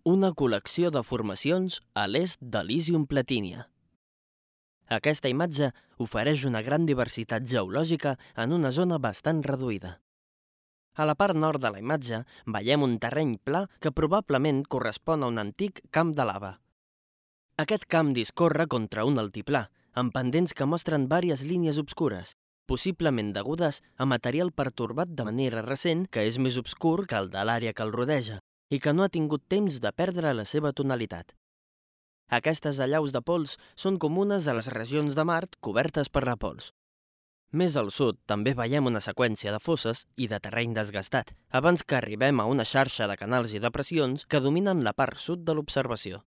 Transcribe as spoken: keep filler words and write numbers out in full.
una col·lecció de formacions a l'est d'Elysium Platinia. Aquesta imatge ofereix una gran diversitat geològica en una zona bastant reduïda. A la part nord de la imatge veiem un terreny pla que probablement correspon a un antic camp de lava. Aquest camp discorre contra un altiplà, amb pendents que mostren diverses línies obscures, possiblement degudes a material pertorbat de manera recent que és més obscur que el de l'àrea que el rodeja i que no ha tingut temps de perdre la seva tonalitat. Aquestes allaus de pols són comunes a les regions de Mart cobertes per la pols. Més al sud també veiem una seqüència de fosses i de terreny desgastat, abans que arribem a una xarxa de canals i depressions que dominen la part sud de l'observació.